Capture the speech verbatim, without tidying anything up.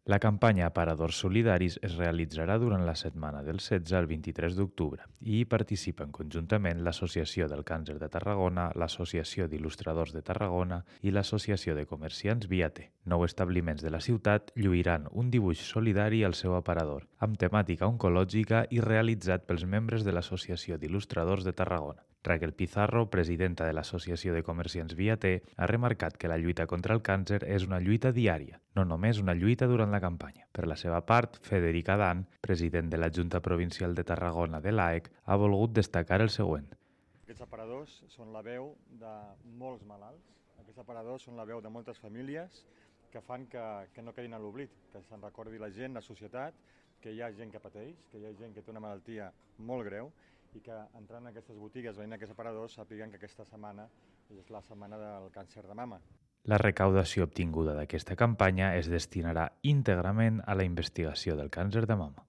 La campanya Aparadors Solidaris es realitzarà durant la setmana del setze al vint-i-tres d'octubre i hi participen conjuntament l'Associació del Càncer de Tarragona, l'Associació d'Il·lustradors de Tarragona i l'Associació de Comerciants Viater. Nou establiments de la ciutat lluiran un dibuix solidari al seu aparador, amb temàtica oncològica i realitzat pels membres de l'Associació d'Il·lustradors de Tarragona. Raquel Pizarro, presidenta de l'Associació de Comerciants Viater, ha remarcat que la lluita contra el càncer és una lluita diària, no només una lluita durant la campanya. Per la seva part, Federic Adán, president de la Junta Provincial de Tarragona de l'A E C, ha volgut destacar el següent. Aquests aparadors són la veu de molts malalts, aquests aparadors són la veu de moltes famílies que fan que, que no quedin a l'oblit, que se'n recordi la gent, la societat, que hi ha gent que pateix, que hi ha gent que té una malaltia molt greu i que entrant en aquestes botigues, veient aquests aparadors, sàpiguen que aquesta setmana és la setmana del càncer de mama. La recaudació obtinguda d'aquesta campanya es destinarà íntegrament a la investigació del càncer de mama.